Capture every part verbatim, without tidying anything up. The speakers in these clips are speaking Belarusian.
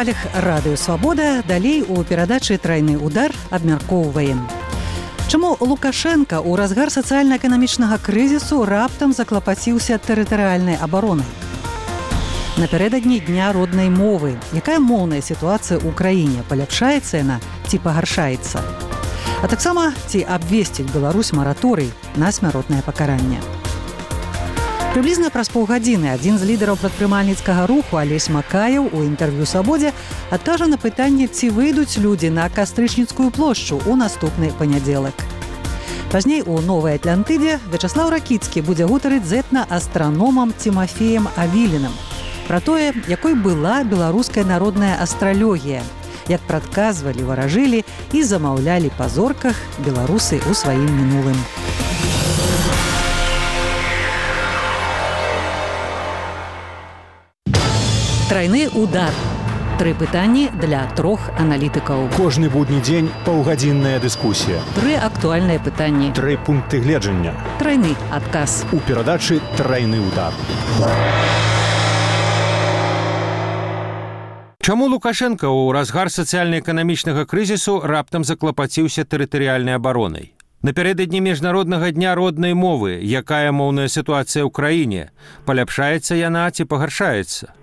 хвалях радыё «Свабода». Далей у перадачы «Трайны удар» абмяркоўваем. Чаму Лукашенка ў разгар сацыяльна-эканамічнага крызісу раптам заклапаціўся тэрытарыяльнай абаронай? Напярэдадні дня роднай мовы. Якая моўная сітуацыя ў краіне? Паляпшаецца яна ці пагаршаецца? А таксама ці абвесціць Беларусь мараторый на смяротнае пакаранне? Прыблізна праз паўгадзіны адзін з лідараў прадпрымальніцкага руху Алесь Макаеў у інтэрв'ю «Свабодзе» адкажа на пытанне, ці выйдуць людзі на Кастрычніцкую плошчу ў наступны панядзелак. Пазней у Новай Атлантыдзе Вячаслаў Ракіцкі будзе гутарыць з этна-астраномам Тимофеем Авіліным пра тое, якой была беларуская народная астралогія, як прадказвалі, варажылі і замаўлялі па зорках беларусы ў сваім мінулым. Трайны удар. Тры пытанні для трох аналітыкаў. Кожны будні дзень паўгадзінная дыскусія. Тры актуальныя пытанні. Тры пункты гледжання. Трайны адказ. У перадачы «Трайны удар». Чаму Лукашенка ў разгар сацыяльна-эканамічнага крызісу раптам заклапаціўся тэрытарыяльнай абаронай? Напярэдадні міжнароднага дня роднай мовы, якая моўная сітуацыя ў краіне? Паляпшаецца яна ці пагаршаецца?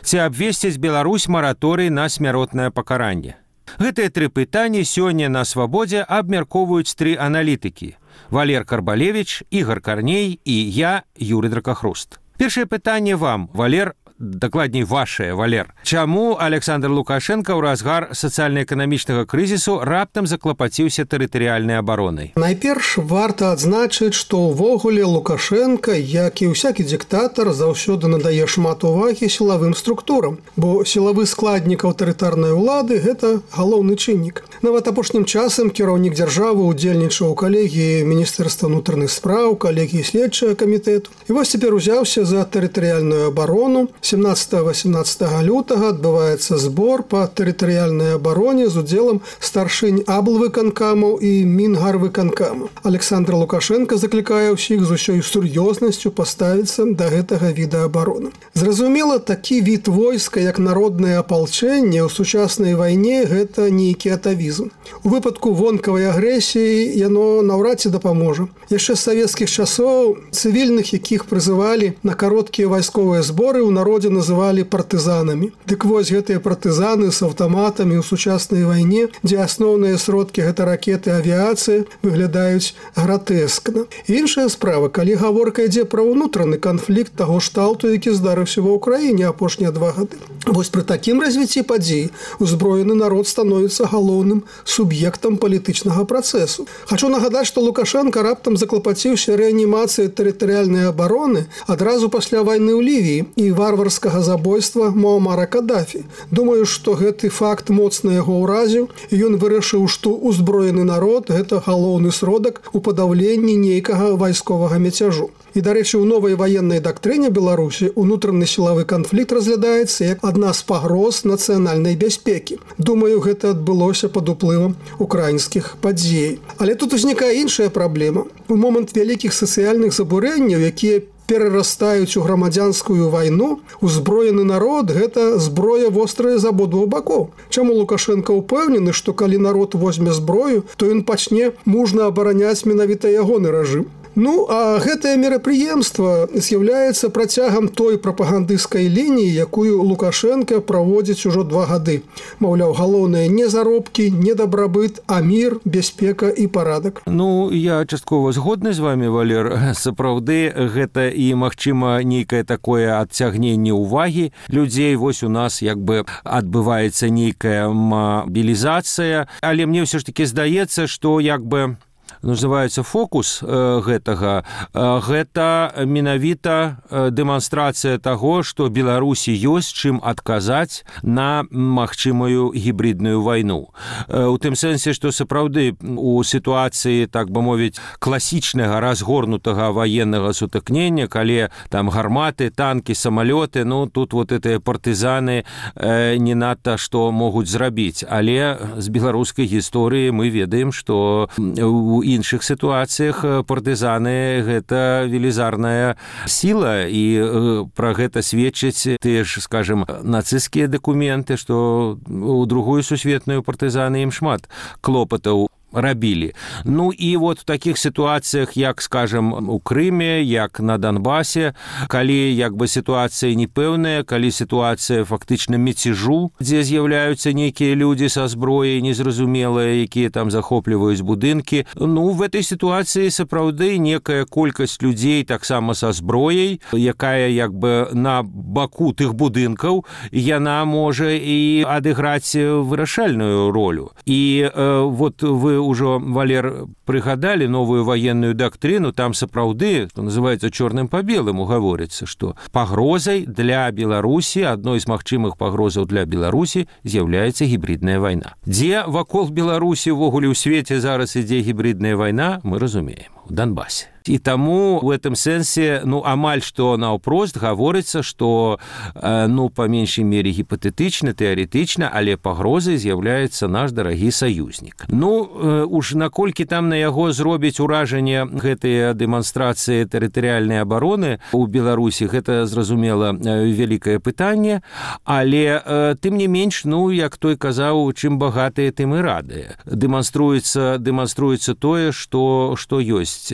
Ці абвесціць Беларусь мараторый на смяротнае пакаранне? Гэтыя тры пытанні сёння на «Свабодзе» абмяркоўваюць тры аналітыкі: Валер Карбалевіч, Ігор Карней і я, Юрый Дракахруст. Першае пытанне вам, Валер, дакладней вашае, Валер. Чаму Александр Лукашенко ў разгар сацыяльна-эканамічнага крызісу раптам заклапаціўся тэрытарыяльнай абаронай? Найперш варта адзначыць, што ўвогуле Лукашенко, як і ўсякі дыктатар, заўсёды надае шмат увагі сілавым структурам, бо сілавы складнік аўтарытарнай улады – гэта галоўны чыннік. Нават апошнім часам кіраўнік дзяржавы ўдзельнічаў у калегіі Міністэрства ўнутраных спраў, калегіі следчага камітэту. І вось цяпер узяўся за тэрытарыяльную абарону. сямнаццатага-васемнаццатага лютага адбываецца збор па тэрытарыяльнай абароне з удзелам старшынь аблвыканкамаў і мінгарвыканкамаў. Александр Лукашенко заклікае ўсіх з усёй сур'ёзнасцю паставіцца да гэтага віда абароны. Зразумела, такі від войска, як народнае апалчэнне ў сучаснай вайне, гэта нейкі атавізм. У выпадку вонкавай агрэсіі яно наўрад ці дапаможа. Яшчэ з савецкіх часоў цывільных, якіх прызывалі на кароткія вайсковыя зборы, у народзе называлі партызанамі. Дык вось гэтыя партызаны з аўтаматамі ў сучаснай вайне, дзе асноўныя сродкі гэта ракеты, авіяцыя, выглядаюць гратэскна. Іншая справа, калі гаворка ідзе пра ўнутраны канфлікт таго шталту, які здарыўся ва ўкраіне апошнія два гады. Вось пры такім развіцці падзей узброены народ становіцца галоўным суб'ектам палітычнага працэсу. Хачу нагадаць, што Лукашенко раптам заклапаціўся рэанімацыяй тэрытарыяльнай абароны адразу пасля вайны ў Лівіі і варварскага забойства Муамара Каддафі. Думаю, што гэты факт моцна яго ўразіў, і ён вырашыў, што узброены народ – гэта галоўны сродак у падаўленні нейкага вайсковага мяцяжу. І, дарэчы, у новай ваеннай дактрыне Беларусі унутраны сілавы канфлікт разглядаецца як адна з пагроз нацыянальнай бяспекі. Думаю, гэта адбылося пад уплывам украінскіх падзей. Але тут узнікае іншая праблема. У момант вялікіх сацыяльных забурэнняў, якія перарастаюць у грамадзянскую вайну, узброены народ – гэта зброя вострая з абодвух бакоў. Чаму Лукашенко ўпэўнены, што калі народ возьме зброю, то ён пачне мужна абараняць менавіта ягоны рэжым? Ну, а гэтае мерапрыемства з'яўляецца працягам той прапагандысцкай лініі, якую Лукашенко праводзіць ужо два гады. Маўляў, галоўнае не заробкі, не дабрабыт, а мір, бяспека і парадак. Ну, я часткова згодны з вами, Валер. Сапраўды, гэта і, магчыма, нейкае такое адцягненне ўвагі людзей. Вось у нас як бы адбываецца нейкая мабілізацыя. Але мне ўсё ж такі здаецца, што як бы называецца фокус э, гэтага, э, гэта менавіта э, дэманстрацыя таго, што Беларусі ёсць чым адказаць на магчымую гібридную вайну. Э, у тым сэнсе, што сапраўды у сітуацыі, так бы мовіць, класічнага разгорнутага ваеннага сутыкнення, калі там гарматы, танкі, самалёты, ну тут вот гэтыя партызаны э, не надта што могуць зрабіць. Але з беларускай гісторыі мы ведаем, што у іншых сітуацыях партызаны гэта велізарная сіла, і пра гэта сведчаць тыя ж, скажем, нацысцкія дакументы, што у другую сусветную партызаны ім шмат клопатаў рабілі. Ну і вот в такіх сітуацыях, як, скажем, у Крыме, як на Донбасе, калі як бы сітуацыя непэўная, калі сітуацыя фактычна мяцежу, дзе з'яўляюцца нейкія людзі са зброяй незразумелыя, якія там захопліваюць будынкі, ну, в этой сітуацыі сапраўды некая колькасць людзей таксама са зброяй, якая як бы на баку тых будынкаў, яна можа і адыграць вырашальную ролю. І э, вот вы ўжо, Валер, прыгадалі новую ваенную дактрыну, там сапраўды, што называецца чорным па беламу, гаворыцца, што пагрозай для Беларусі, адной з магчымых пагрозаў для Беларусі з'яўляецца гібридная вайна. Дзе вакол Беларусі ўвогуле ў свеце зараз ідзе гібридная вайна, мы разумеем, у Донбасе. І таму ў гэтым сэнсе, ну, амаль што наўпрост гаворыцца, што, э, ну, па меншай мере гіпатэтычна, тэарэтычна, але пагрозай з'яўляецца наш дарагі саюзнік. Ну, э, уж наколькі там на яго зробіць уражанне гэтыя дэманстрацыі тэрытарыяльнай абароны ў Беларусі, гэта, зразумела, вялікае пытанне, але э, тым не менш, ну, як той казаў, чым багатыя, тым і радыя. Дэманструецца, дэманструецца тое, што, што ёсць.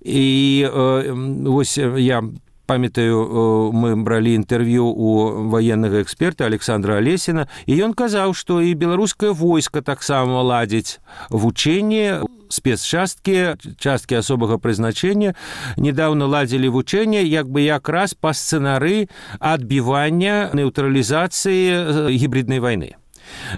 І э, вось я памятаю, мы бралі інтэрв'ю у ваеннага эксперта Александра Алесіна, і ён казаў, што і беларускае войска таксама ладзіць вучэнні, спецчасткі, часткі асобага прызначэння, недавно ладзілі вучэнне, як бы якраз па сцэнары адбівання нейтралізацыі гібриднай вайны.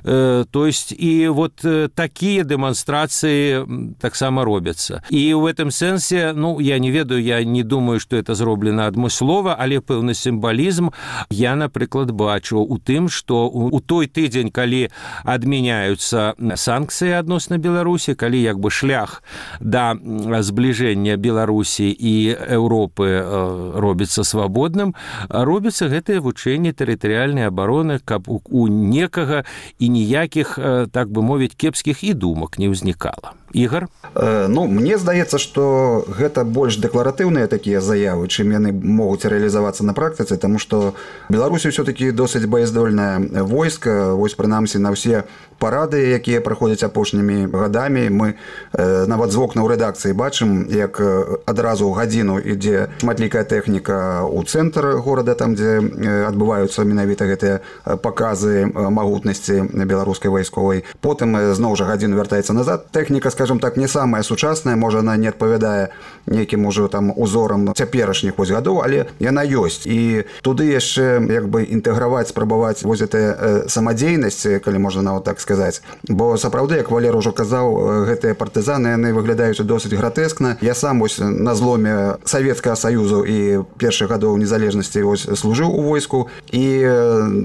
То есть и вот такие демонстрации так само робятся. И в этом сенсе, ну, я не ведаю, я не думаю, что это зроблено адмыслова, але пэўны сімвалізм я, напрыклад, бачу у тым, што у той тыдзень, калі адмяняюцца санкцыі адносна Беларусі, калі як бы шлях да збліжэння Беларусі і Еўропы робіцца свабодным, робіцца гэтае вучэнне тэрытарыяльнай абароны, каб у некага і ніякіх, так бы мовіць, кепскіх і думак не ўзнікала. Ігор? Э, ну, мне здаецца, што гэта больш дэкларатыўныя такія заявы, чым яны могуць рэалізавацца на практыцы, таму што Беларусі ўсё-такі досыць баяздольнае войска, вось прынамсі на ўсе парады, якія праходзяць апошнімі гадамі. Мы э, нават з вокна ў рэдакцыі бачым, як адразу гадзіну ідзе шматлікая тэхніка ў цэнтр горада, там, дзе адбываюцца менавіта гэтыя паказы магутнасці беларускай вайсковай. Потым зноў жа гадзіну вяртаецца назад. Тэхніка, скажем так, не самая сучасная, можа, она не адпавядае нейкім ужо там узорам цяперашніх вось гадоў, але яна ёсць. І туды яшчэ як бы інтэграваць, спрабаваць вось гэтая самадзейнасць, калі можна нават так сказаць. Бо сапраўды, як Валер ужо казаў, гэтыя партызаны, яны выглядаюць досыць гратэскна. Я сам вось на зломе Савецкага Саюзу і першых гадоў незалежнасці вось служыў у войску, і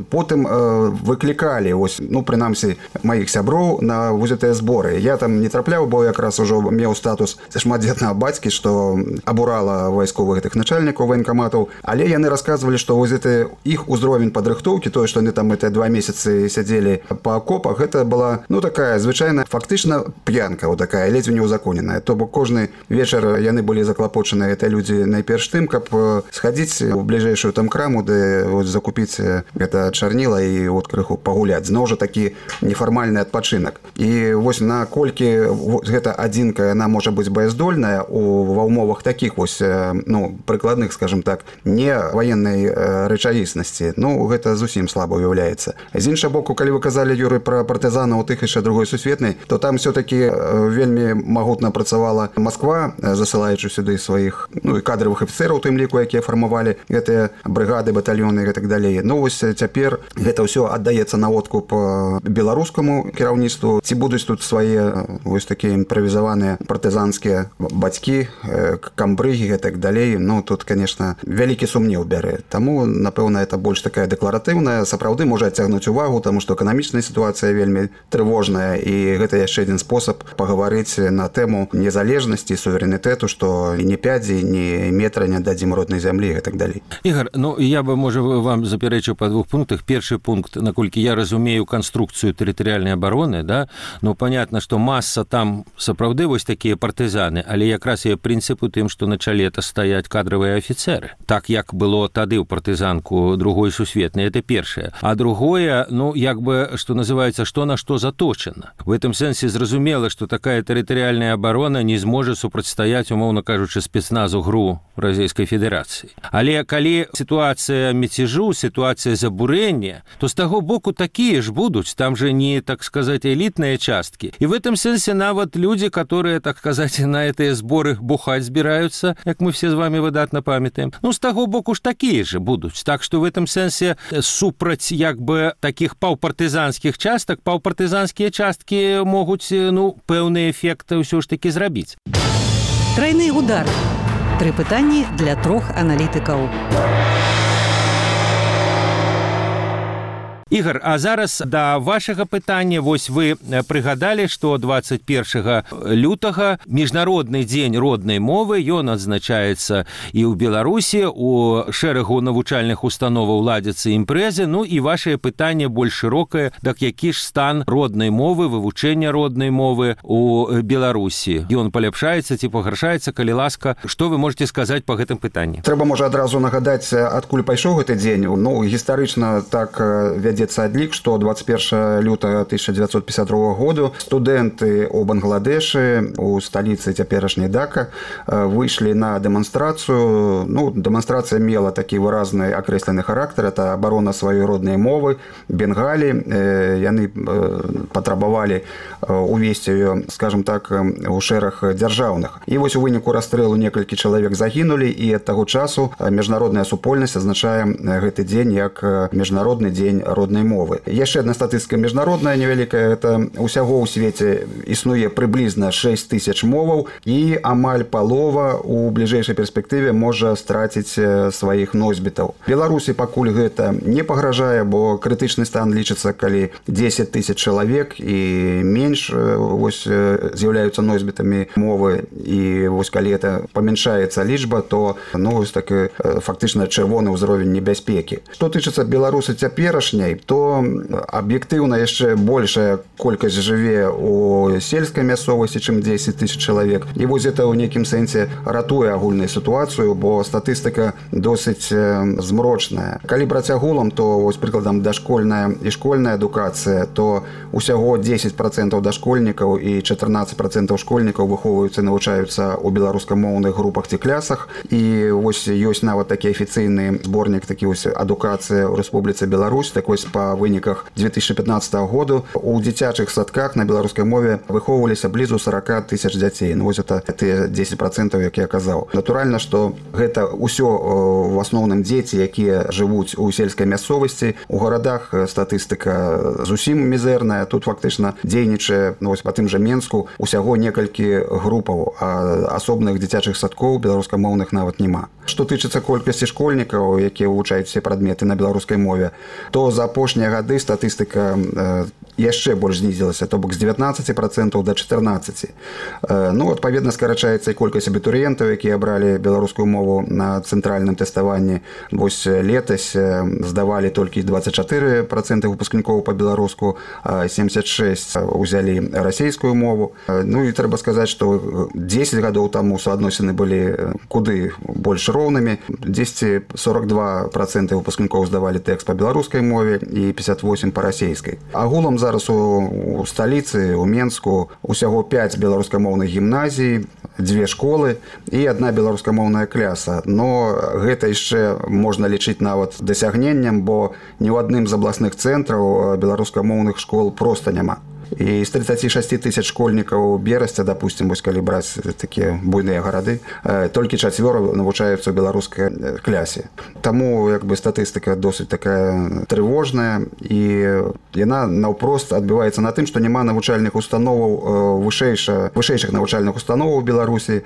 потым выклікалі вось, ну, прынамсі, маіх сяброў на вось гэтыя зборы. Я там не трапляў, бо якраз ужо меў статус шматдзетнага бацькі, што абурала вайсковых гэтых начальнікаў военкаматаў, але яны расказвалі, што вось гэты іх узровень падрыхтоўкі, тое, што яны там гэтыя два месяцы сядзелі па акопах, гэта была, ну, такая звычайная, фактычна п'янка, вот такая, ледзь не ўзаконеная. То бок кожны вечар яны былі заклапочаны, гэта людзі найперш тым, каб схадзіць у бліжэйшую там краму, де вот закупіць гэта чарніла і вот крыху пагуляць. Зноў жа такі нефармальны адпачынак. І вось наколькі гэта адзінка, яна можа быць баяздольная у ва ўмовах такіх вось, ну, прыкладных, скажем так, не ваеннай рэчаіснасці, ну, гэта зусім слаба уяўляецца. З іншага боку, калі вы казалі, Юрый, пра партызанаў у тых яшчэ другой сусветнай, то там все-таки вельмі магутна працавала Москва, засылаючы сюды сваіх, ну, і кадровых афіцэраў, тым ліку, якія фармавалі гэтыя брыгады, батальёны і так далей. Ну, вось цяпер гэта ўсё аддаецца на откуп беларускаму кіраўніцтву. Ці будуць тут свае вось такія імправізаваныя партызанскія бацькі, камбрыгі і так далей. Ну, тут, конечно, вялікі сумнеў бярэ. Таму, напэўна, это больш такая дэкларатыўная, сапраўды можа адцягнуць увагу, таму што эканамічная сітуацыя вельмі вельмі трывожная, і гэта яшчэ адзін спосаб пагаварыць на тэму незалежнасці, суверэнітэту, што ні пядзі, ні метра не дадзім роднай зямлі і так далей. Ігор, ну я бы, можа, вам запярэчыў па двух пунктах. Першы пункт, наколькі я разумею канструкцыю тэрытарыяльнай абароны, да, ну понятно, што маса там сапраўды вось такія партызаны, але якраз і прынцып у тым, што на чале это стаяць кадравыя афіцеры. Так як было тады ў партызанку другой сусветнай, это першае. А другое, ну, як бы, што называецца, што на што заточана. В этом сэнсе зразумела, што такая тэрытарыяльная абарона не зможа супрацьстаяць, умоўна кажучы, спецназу ГРУ Расійскай Федэрацыі. Але калі сітуацыя мяцежу, сітуацыя забурэння, то з таго боку такія ж будуць, там же не, так сказать, элітныя часткі. І в этом сэнсе нават людзі, которые, так сказать, на гэтыя зборы бухаць збіраюцца, як мы все з вами выдатна памятаем, ну, з таго боку ж такія же будуць. Так што в этом сэнсе супраць, як бы, такіх паўпартызанскіх частак, паўпартызанскія часткі могуць, ну, пэўны эфект ўсё ж такі зрабіць. Трайны удар. Тры пытанні для трох аналітыкаў. Ігор, а зараз да вашага пытання. Вось вы прыгадалі, што дваццаць першага лютага міжнародны дзень роднай мовы, ён адзначаецца і ў Беларусі, у шэрагу навучальных установаў ладзяцца імпрэзы, ну і вашае пытанне больш шырокае, так які ж стан роднай мовы, вывучэння роднай мовы у Беларусі. Ён паляпшаецца ці пагаршаецца, калі ласка, што вы можете сказаць па гэтым пытанні? Трэба, можа, адразу нагадаць, адкуль пайшоў гэты дзень. Ну, гістарычна так вядзе адлік, што дваццаць першага лютага тысяча дзевяцьсот пятьдесят другога году студэнты ў Бангладэшы, у сталіцы цяперашняй Дака, выйшлі на дэманстрацыю. Ну, дэманстрацыя мела такі выразны акрэслены характар, это абарона сваёй роднай мовы, Бенгалі. Яны патрабавалі увесці ее, скажем так, у шэраг дзяржаўных. І вось у выніку расстрэлу некалькі чалавек загінулі, і ад таго часу міжнародная супольнасць азначае гэты дзень як міжнародны дзень роднай мовы. Яшчэ адна статыстыка міжнародная невялікая, это усяго ў свеце існуе прыблізна шэсць тысяч моваў, і амаль палова у бліжэйшай перспектыве можа страціць сваіх носьбітаў. Беларусі пакуль гэта не пагражае, бо крытычны стан лічыцца, калі дзесяць тысяч чалавек і менш вось з'яўляюцца носьбітамі мовы, і вось калі это памяншаецца лічба, то ну вось такі фактычна чырвоны ўзровень небяспекі. Што тычыцца Беларусі цяперашняй, то аб'ектыўна яшчэ большая колькасць жыве ў сельскай мясцовасці, чым дзесяць тысяч чалавек. І вось гэта ў нейкім сэнсе ратуе агульную сітуацыю, бо статыстыка досыць змрочная. Калі браць агулам, то вось прыкладам дашкольная і школьная адукацыя, то усяго дзесяць працэнтаў дашкольнікаў і чатырнаццаць працэнтаў школьнікаў выхоўваюцца і навучаюцца ў беларускамоўных групах ці клясах. І вось ёсць нават такі афіцыйны зборнік, такі вось адукацыя ў Рэспубліцы Беларусь, так вось па выніках две тысячи пятнадцатого году у дзіцячых садках на беларускай мове выхоўваліся блізу сорок тысяч дзяцей. Ну вось это тыя дзесяць працэнтаў, як я казаў. Натуральна, што гэта ўсё в асноўным дзеці, якія жывуць у сельскай мясцовасці. У гарадах статыстыка зусім мізэрная. Тут фактычна дзейнічае, ну вось па тым жа Менску, усяго некалькі групаў, а асобных дзіцячых садкоў беларускамоўных нават няма. Што тычыцца колькасці школьнікаў, якія вывучаюць все прадметы на беларускай мове, то за апошнія гады статыстыка яшчэ больш знізілася, то бок з дзевятнаццаць працэнтаў да чатырнаццаць. Ну, адпаведна, скарачаецца і колькасць абітурыентаў, якія абралі беларускую мову на цэнтральным тэставанні. Вось летась здавалі толькі дваццаць чатыры працэнты выпускнікоў па-беларуску, семьдесят шесть узялі расейскую мову. Ну і трэба сказаць, што дзесяць гадоў таму суадносіны былі куды больш роўнымі. дзесяць сорок два працэнты выпускнікоў здавалі тэкст па беларускай мове і пятьдесят восемь па расейскай. Агулам зараз у сталіцы, у Менску, усяго пять беларускамоўных гімназій, дзве школы і адна беларускамоўная кляса. Но гэта яшчэ можна лічыць нават дасягненнем, бо ні ў адным з абласных цэнтраў беларускамоўных школ проста няма. і з тридцати шасці тысяч школьнікаў Берасця, допустим, вось калі браць такія буйныя гарады, толькі чацвёра навучаюцца ў беларускай клясе. Таму як бы статыстыка досыць такая трывожная, і яна наўпрост адбіваецца на тым, што няма навучальных установаў вышэйша, вышэйшых навучальных установаў у Беларусі.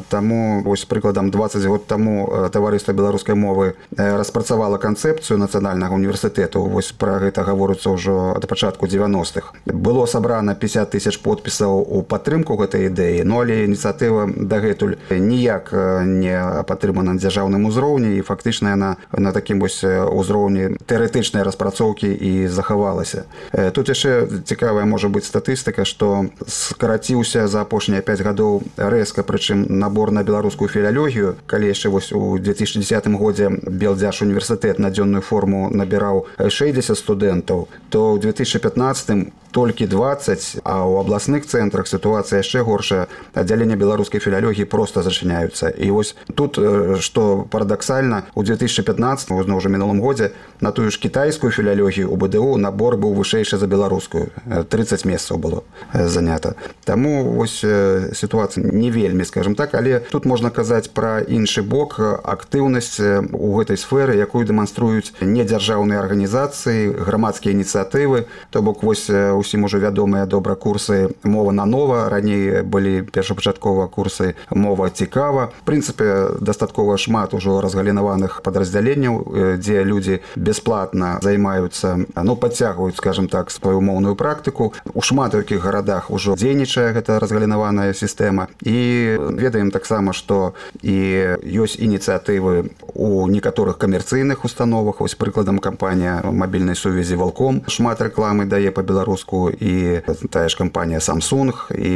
Таму вось прыкладам дваццаць год таму таварыства беларускай мовы распрацавала канцэпцыю нацыянальнага універсітэту. Вось пра гэта гаворыцца ўжо ад пачатку дзевяностых. Было сабрана пятьдесят тысяч подпісаў у падтрымку гэтай ідэі, но але ініцыятыва дагэтуль ніяк не падтрымана на дзяржаўным узроўні, і фактычна яна на такім вось узроўні тэарэтычнай распрацоўкі і захавалася. Тут яшчэ цікавая можа быць статыстыка, што скараціўся за апошнія пяць гадоў рэзка, прычым набор на беларускую філалогію. Калі яшчэ вось у две тысячи десятым годзе Белдзяж універсітэт на дзённую форму набіраў шэсцьдзесят студэнтаў, то ў две тысячи пятнадцатым толькі дваццаць, а ў абласных цэнтрах сітуацыя яшчэ горшая. Аддзяленне беларускай філалогіі проста зачыняюцца. І вось тут, што парадаксальна, у две тысячи пятнадцатым, ўжо мінулым годзе, на тую ж кітайскую філалогію у БДУ набор быў вышэйшы за беларускую. тридцать месцаў было занята. Таму вось сітуацыя не вельмі, скажем так, але тут можна казаць пра іншы бок, актыўнасць у гэтай сферы, якую дэманструюць недзяржаўныя арганізацыі, грамадскія ініцыятывы. То бок вось усім ужо вядомыя добра курсы «Мова на нова». Раней былі першапачаткова курсы «Мова цікава». В прынцыпе, дастаткова шмат ужо разгалінаваных падраздзяленняў, дзе людзі бясплатна займаюцца, ну, падцягваюць, скажем так, сваю моўную практыку. У шмат якіх гарадах ужо дзейнічае гэта разгалінаваная сістэма. І ведаем таксама, што і ёсць ініцыятывы у некаторых камерцыйных установах. Вось прыкладам кампанія мабільнай сувязі «Волком» шмат рэкламы дае па-беларуску, і тая ж кампанія Samsung, і,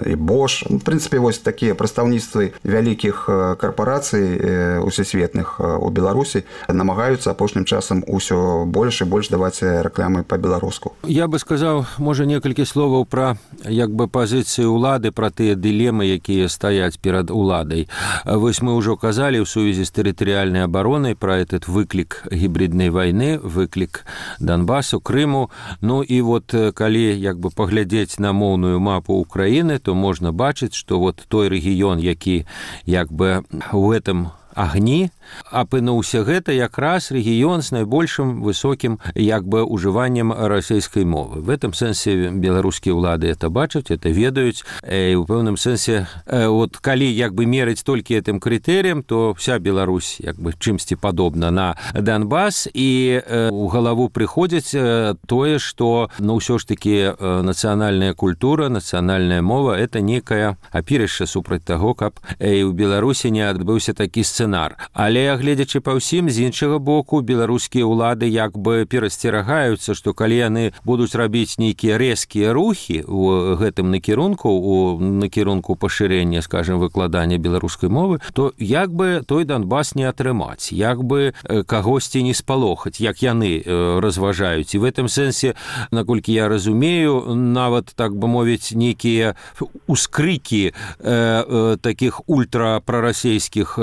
і Bosch. В прынцыпе, вось такія прадстаўніцтвы вялікіх карпарацый усесветных у Беларусі намагаюцца апошнім часам усё больш і больш даваць рэкламы па-беларуску. Я бы сказаў, можа, некалькі словаў пра як бы пазіцыі ўлады, пра тыя дылемы, якія стаяць перад уладай. Вось мы ўжо казалі ў сувязі з тэрытарыяльнай абаронай пра этот выклік гібриднай вайны, выклік Донбасу, Крыму. Ну і вот калі як бы паглядзець на моўную мапу Украіны, то можна бачыць, што вот той рэгіён, які як бы у гэтым агні, апынуўся гэта якраз рэгіён з найбольшым высокім як бы ужываннем расійскай мовы. В этом сэнсе беларускія ўлады это бачаць, это ведаюць, і ў пэўным сэнсе вот калі як бы мерыць толькі гэтым крытэрыям, то вся Беларусь як бы чымсьці падобна на Донбас, і у галаву прыходзіць тое, што ну ўсё ж такі нацыянальная культура, нацыянальная мова это некае апірышча супраць таго, каб і ў Беларусі не адбыўся такі сцэнар. Але гледзячы па ўсім, з іншага боку, беларускія ўлады як бы перасцерагаюцца, што калі яны будуць рабіць нейкія рэзкія рухі ў гэтым накірунку, у накірунку пашырэння, скажем, выкладання беларускай мовы, то як бы той Донбас не атрымаць, як бы кагосьці не спалохаць, як яны разважаюць. І в этом сэнсе, наколькі я разумею, нават, так бы мовіць, нейкія ускрыкі э, такіх ультрапрарасейскіх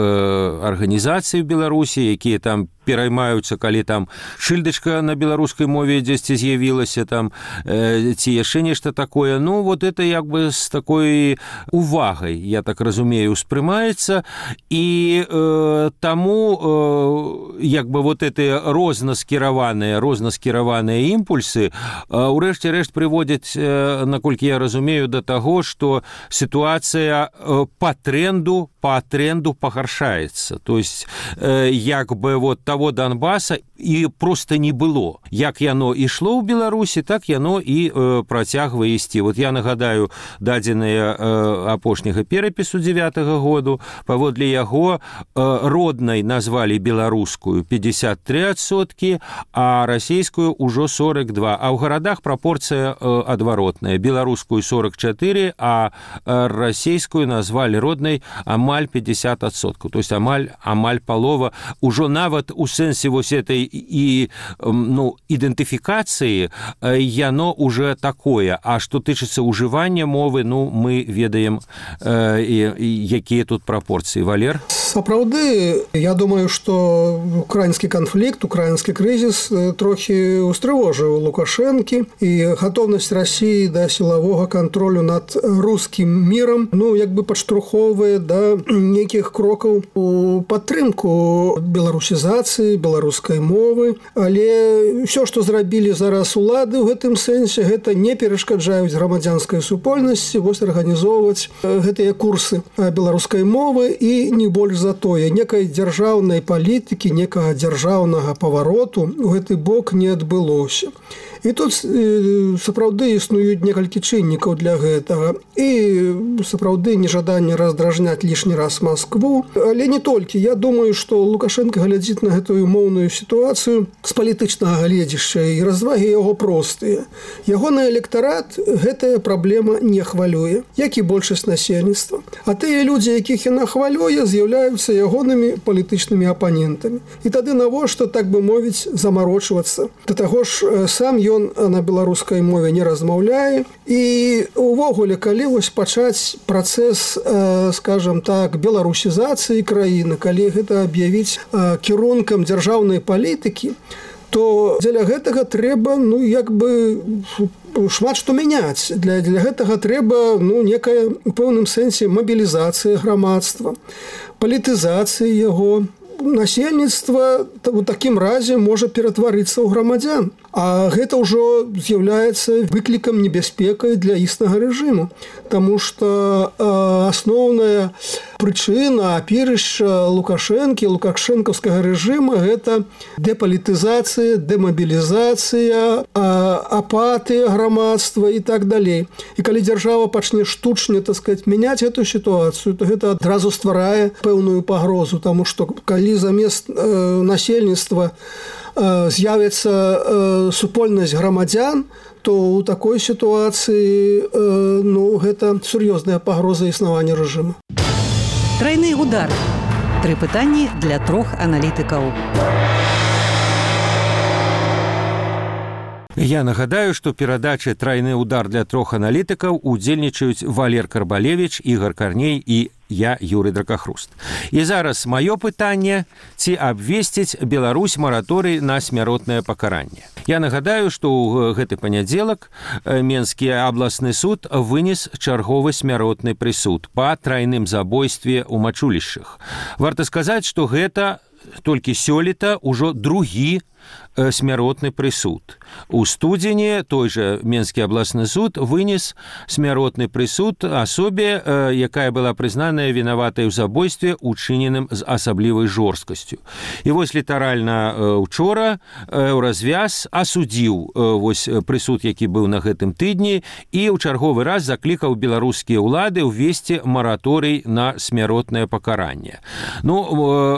арганізацый в Беларусі, якія там пераймаюцца, калі там шыльдачка на беларускай мове дзесьці з'явілася там, э, ці яшчэ нешта такое. Ну, вот это як бы з такой увагай, я так разумею, успрымаецца, і э, таму э, як бы вот эти рознаскіраваныя, рознаскіраваныя імпульсы э, урэшце рэшт прыводзяць, э, наколькі я разумею, да таго, што сітуацыя э, па тренду, па тренду пагаршаецца. То есть, э, як бы вот того Донбаса і просто не было. Як яно ішло ў Беларусі, так яно і э, працягвае ісці. Вот я нагадаю дадзеныя э, апошняга перапісу дзевятага году. Паводле яго э, роднай назвалі беларускую пятьдесят три адсоткі, а расійскую ўжо сорок два. А ў гарадах прапорцыя э, адваротная. Беларускую сорок четыре, а э, расійскую назвалі роднай амаль пятьдесят адсоткаў. То есть амаль, амаль палова. Ужо нават у сэнсе вось этой і ну ідэнтыфікацыі яно уже такое, а што тычыцца ўжывання мовы, ну мы ведаем э, якія тут прапорцыі. Валер? Сапраўды, я думаю, што украінскі канфлікт, украінскі крызіс трохі устрывожыў Лукашэнкі, і гатоўнасць Расіі да сілавога кантролю над рускім мірам, ну як бы падштурхоўвае да нейкіх крокаў у падтрымку беларусізацыі, беларускай мовы, але ўсё, што зрабілі зараз улады ў гэтым сэнсе, гэта не перашкаджаюць грамадзянскай супольнасці вось арганізоўваць гэтыя курсы беларускай мовы, і не больш за тое, некай дзяржаўнай палітыкі, некага дзяржаўнага павароту ў гэты бок не адбылося. І тут сапраўды існуюць некалькі чыннікаў для гэтага. І сапраўды нежаданне раздражняць лішні раз Маскву. Але не толькі. Я думаю, што Лукашенко глядзіць на гэтую моўную сітуацыю з палітычнага гледзішча, і развагі яго простыя. Ягоны электарат гэтая праблема не хвалюе, як і большасць насельніцтва. А тыя людзі, якіх яна хвалюе, з'яўляюцца ягонымі палітычнымі апанентамі. І тады навошта, так бы мовіць, замарочвацца? Да таго ж сам ён Ён на беларускай мове не размаўляе, і увогуле, калі вось пачаць працэс, скажем так, беларусізацыі краіны, калі гэта аб'явіць кірункам дзяржаўнай палітыкі, то дзеля гэтага трэба, ну, як бы шмат што мяняць. Для, для гэтага трэба, ну, некая, у пэўным сэнсе, мабілізацыя грамадства, палітызацыя яго. Насельніцтва у такім разе можа ператварыцца ў грамадзян. А гэта ўжо з'яўляецца выклікам небяспекай для існага рэжыму. Таму што асноўная прычына, апірышча Лукашэнкі, лукашэнкаўскага рэжыма – гэта дэпалітызацыя, дэмабілізацыя, апатыя грамадства і так далей. І калі дзяржава пачне штучна, так сказаць, мяняць гэту сітуацыю, то гэта адразу стварае пэўную пагрозу, таму што калі замест насельніцтва з'явіцца супольнасць грамадзян, то ў такой сітуацыі ну, гэта сур'ёзная пагроза існавання рэжыму. Трайны удар. Тры пытанні для трох аналітыкаў. Я нагадаю, што перадачы «Трайны удар» для трох аналітыкаў удзельнічаюць Валер Карбалевіч, Ігор Карней і я, Юрый Дракахруст. І зараз маё пытанне, ці абвесціць Беларусь мараторый на смяротнае пакаранне. Я нагадаю, што ў гэты панядзелак Менскі абласны суд вынес чарговы смяротны прысуд па трайным забойстве ў мачулішчах. Варта сказаць, што гэта толькі сёлета ўжо другі смяротны прысуд. У студзені той жа Менскі абласны суд вынес смяротны прысуд асобе, якая была прызнаная вінаватай у забойстве, учыненым з асаблівай жорсткасцю. І вось літаральна учора Еўразвяз асудзіў вось прысуд, які быў на гэтым тыдні, і ў чарговы раз заклікаў беларускія ўлады ўвесці мараторый на смяротнае пакаранне. Ну,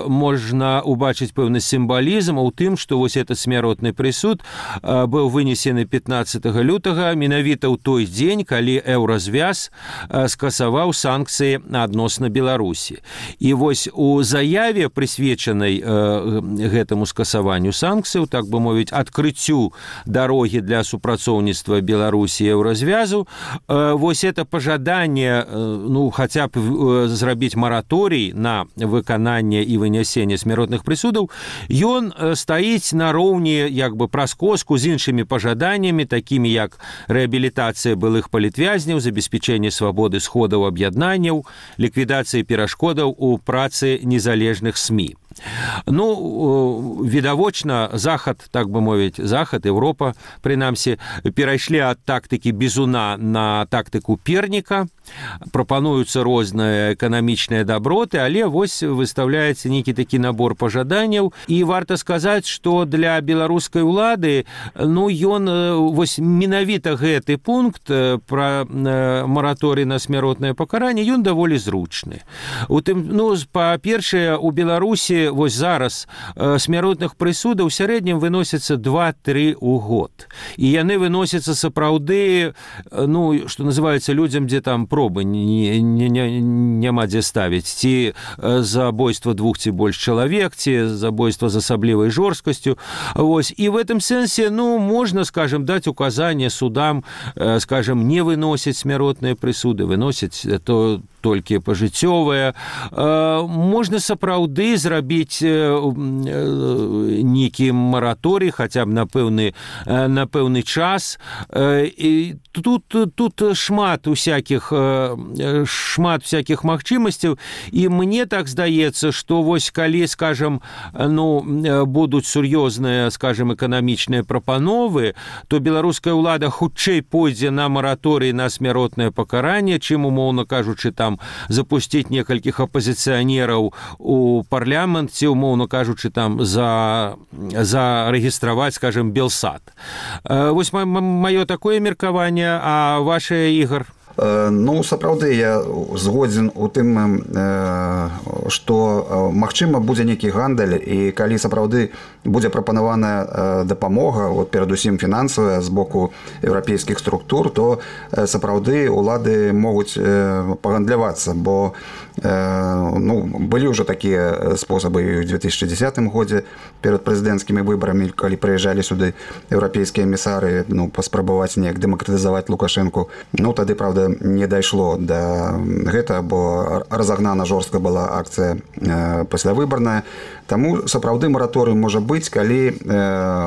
можна убачыць пэўны сімвалізм у тым, што вось этот смяротны прысуд быў вынесены пятнаццатага лютага менавіта ў той дзень, калі Еўразвяз скасаваў санкцыі адносна Беларусі. І вось у заяве, прысвечанай гэтаму скасаванню санкцыяў, так бы мовіць, адкрыццю дарогі для супрацоўніцтва Беларусі і Еўразвязу, вось это пажаданне, ну, хаця б зрабіць мараторый на выкананне і вынясенне смяротных прысудаў, ён стаіць на роўні як бы праз коску з іншымі пажаданнямі, такімі як рэабілітацыя былых палітвязняў, забеспячэнне свабоды сходаў аб'яднанняў, ліквідацыя перашкодаў у працы незалежных СМІ. Ну, відавочна, Захад, так бы мовіць, Захад, Еўропа, прынамсі, перайшлі ад тактыкі бізуна на тактыку перніка, прапануюцца розныя эканамічныя даброты, але вось выстаўляецца нейкі такі набор пажаданняў. І варта сказаць, што для беларускай улады, ну, ён, вось менавіта гэты пункт пра мараторый на смяротнае пакаранне, ён даволі зручны. У тым, ну, па-першае, у Беларусі сапраўды вось зараз смяротных прысудаў у сярэднім выносіцца два-тры ў год. І яны выносяцца сапраўды, ну, што называецца, людзям, дзе там пробы не, не, не, няма дзе ставіць. Ці забойства двух ці больш чалавек, ці забойства з асаблівай жорсткасцю. Вось. І в этом сэнсе, ну, можна, скажем, даць указанне судам, скажем, не выносіць смяротныя прысуды, выносіць то толькі пажыццёвыя. Можна сапраўды зрабіць нейкі мараторый, хаця б на пэўны, на пэўны час. І тут, тут шмат усякіх, шмат всякіх магчымасцяў, і мне так здаецца, што вось калі, скажем, ну, будуць сур'ёзныя, скажем, эканамічныя прапановы, то беларуская ўлада хутчэй пойдзе на мараторый на смяротнае пакаранне, чым, умоўна кажучы, там запусціць некалькіх апазіцыянераў у парламент, ці, умоўна кажучы, там за, зарэгістраваць, скажем, Белсад. Вось маё такое меркаванне, а ваше, Ігор? Ну, сапраўды, я згодзін у тым, што, магчыма, будзе нейкі гандаль, і калі сапраўды будзе прапанаваная дапамога, вот, перадусім фінансавая з боку еўрапейскіх структур, то сапраўды улады могуць пагандлявацца, бо ну, былі ўжо такія спосабы і ў две тысячы дзесятым годзе перад прэзідэнцкімі выбарамі, калі прыязджалі сюды еўрапейскія эмісары, ну, паспрабаваць неяк дэмакратызаваць Лукашэнку. Ну, тады, правда, не дайшло да гэта, бо разагнана жорстка была акцыя паслявыбарная. Таму сапраўды мараторый можа быць, калі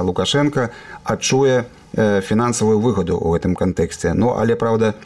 Лукашенко адчуе фінансавую выгаду ў гэтым кантэксце. Ну, але, правда,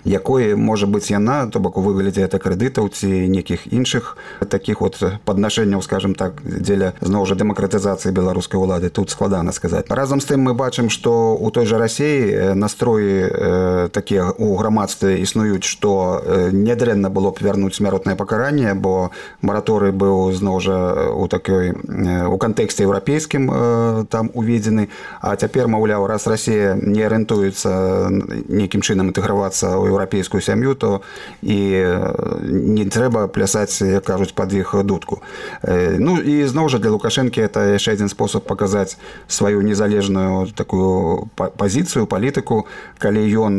якой можа быць яна, то бок у выглядзе это крэдытаў ці нейкіх іншых такіх вот паднашэнняў, скажем так, дзеля зноў жа дэмакратызацыі беларускай улады, тут складана сказаць. Разам з тым мы бачым, што у той жа Расіі настроі э, такія ў грамадстве існуюць, што э, нядрэнна было б вярнуць смяротнае пакаранне, бо мараторый быў зноў жа у такой э, у кантэксце еўрапейскім э, там уведзены, а цяпер, маўляў, раз Расія не арыентуецца нейкім чынам інтэгравацца ў еўрапейскую сям'ю, то і не трэба плясаць, як кажуць, пад іх дудку. Ну і зноў жа для Лукашэнкі это яшчэ адзін спосаб паказаць сваю незалежную такую пазіцыю, палітыку, калі ён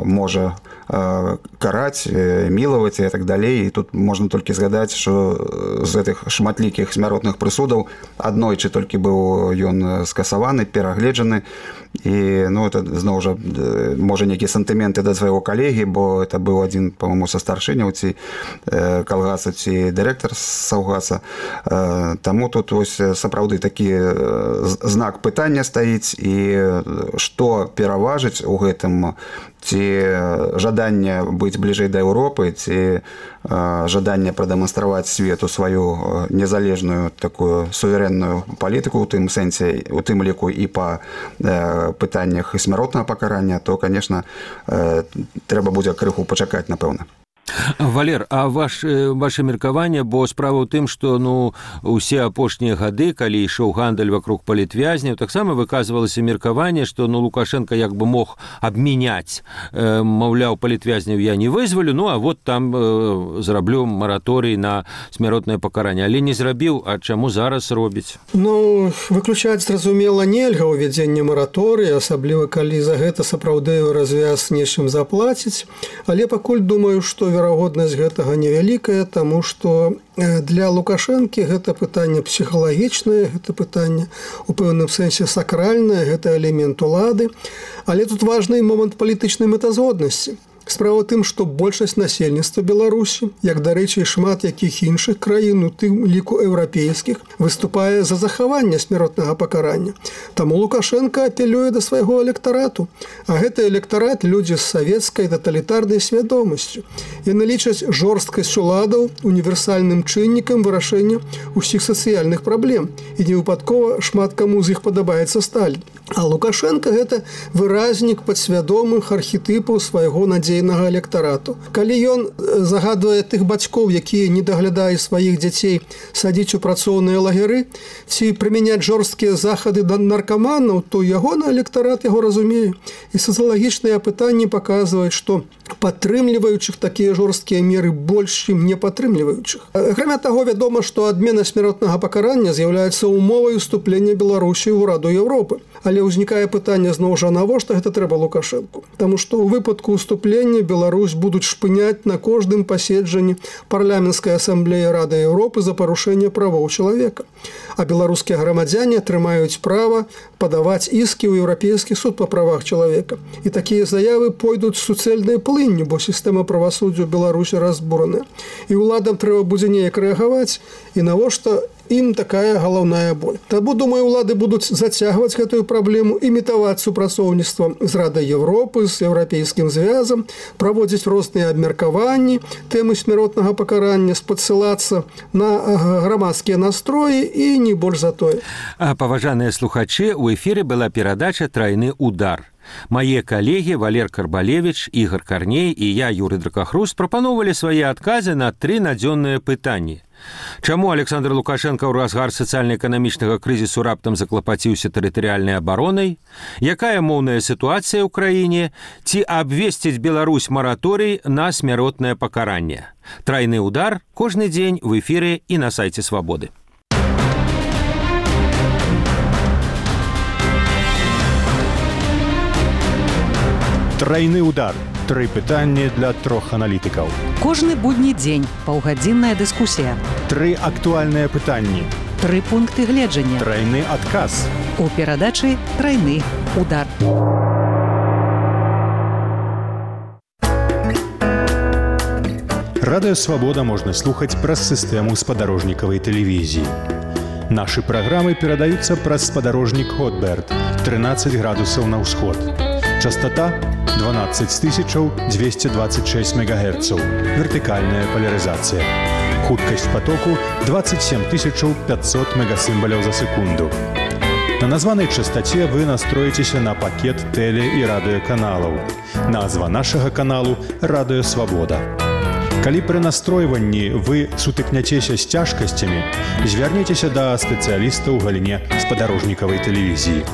можа караць, мілаваць і так далей. І тут можна толькі згадаць, што з гэтых шматлікіх смяротных прысудаў аднойчы толькі быў ён скасаваны, перагледжаны. І, ну, это зноў жа можа нейкія сантыменты да свайго калегі, бо это быў адзін, па-мому, са старшыняў ці калгаса, ці дырэктар саўгаса. Таму тут вось сапраўды такі знак пытання стаіць, і што пераважыць у гэтым, ці жаданне быць бліжэй да Еўропы, ці жаданне прадэманстраваць свету сваю незалежную такую суверэнную палітыку ў тым сэнсе, у тым ліку і па пытаннях смяротнага пакарання, то, конечно, трэба будзе крыху пачакаць, напэўна. Валер, а ваш, ваше меркаванне, бо справа ў тым, што, ну, усе апошнія гады, калі ішоў гандаль вакруг палітвязняў, таксама выказвалася меркаванне, што, ну, Лукашенко як бы мог абмяняць, э, маўляў, палітвязняў я не вызвалю, ну, а вот там э, зраблю мараторый на смяротнае пакаранне, але не зрабіў, а чаму зараз робіць? Ну, выключаць, зразумела, нельга ўвядзенне мараторыя, асабліва калі за гэта сапраўды развяз нечым заплаціць, але пакуль думаю, што верагоднасць гэтага невялікая, таму што для Лукашэнкі гэта пытанне псіхалагічнае, гэта пытанне у пэўным сэнсе сакральнае, гэта элемент улады, але тут важны момант палітычнай мэтазгоднасці. Справа ў тым, што большасць насельніцтва Беларусі, як, дарэчы, і шмат якіх іншых краін, у тым ліку еўрапейскіх, выступае за захаванне смяротнага пакарання. Таму Лукашенко апелюе да свайго электарату. А гэты электарат людзі з савецкай таталітарнай свядомасцю. Яны лічаць жорсткасць уладаў універсальным чыннікам вырашэння ўсіх сацыяльных праблем. І невыпадкова шмат каму з іх падабаецца Сталін. А Лукашенко гэта выразнік падсвядомых архетыпаў свайго надзейнага электарату. Калі ён загадвае тых бацькоў, якія не даглядаюць сваіх дзяцей, садзіць у працоўныя лагеры ці прымяняць жорсткія захады да наркаманаў, то ягоны электарат яго разумее. І сацыялагічныя пытанні паказваюць, што падтрымліваючых такія жорсткія меры больш, чым не падтрымліваючых. Акрамя таго, вядома, што адмена смяротнага пакарання з'яўляецца умовай уступлення Беларусі ў Раду Еўропы. Але ўзнікае пытанне зноў жа, навошта гэта трэба Лукашэнку? Таму што ў выпадку уступлення Беларусь будуць шпыняць на кожным паседжанні парламенцкай асамблеі Рады Еўропы за парушэнне правоў чалавека. А беларускія грамадзяне атрымаюць права падаваць іскі ў Еўрапейскі суд па правах чалавека. І такія заявы пойдуць суцэльнай плынню, бо сістэма правасуддзя ў Беларусі разбураная. І ўладам трэба будзе неяк рэагаваць, і навошта ім такая галаўная боль. Таму, думаю, улады будуць зацягваць гэтую праблему, імітаваць супрацоўніцтва з Радай Еўропы, з Еўрапейскім звязам, праводзіць розныя абмеркаванні тэмы смяротнага пакарання, спадсылацца на грамадскія настроі і не больш за тое. Паважаныя слухачы, у эфіры была перадача «Трайны удар». Мае калегі Валер Карбалевіч, Ігор Карней і я, Юрый Дракахрус, прапановалі свае адказы на тры надзённыя пытанні. Чаму Александр Лукашенко ў разгар сацыяльна-эканамічнага крызісу раптам заклапаціўся тэрытарыяльнай абаронай? Якая моўная сітуацыя ў краіне? Ці абвесціць Беларусь мараторый на смяротнае пакаранне? Трайны удар кожны дзень в эфіры і на сайце Свабоды. Трайны удар. Тры пытанні для трох аналітыкаў. Кожны будні дзень паўгадзінная дыскусія. Тры актуальныя пытанні. Тры пункты гледжання. Трайны адказ. У перадачы «Трайны удар». Радыё Свабода можна слухаць праз сістэму спадарожнікавай тэлевізіі. Нашы праграмы перадаюцца праз спадарожнік Хотберт, трынаццаць градусаў на ўсход. Частота дванаццаць тысяч двести двадцать шесть мегагерцаў. Вертыкальная поляризация. Хуткасць потоку двадцать семь тысяч пятьсот мегасимволяў за секунду. На названай частоте вы настроитеся на пакет теле- і радыёканалаў. Назва нашага каналу «Радыё Свабода». Калі пры настройванні вы сутыкняцеся з цяжкасцямі, звярніцеся да спецыяліста ў галіне спадарожнікавай тэлевізіі.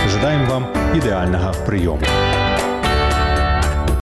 Жадаем вам ідэальнага прыёму.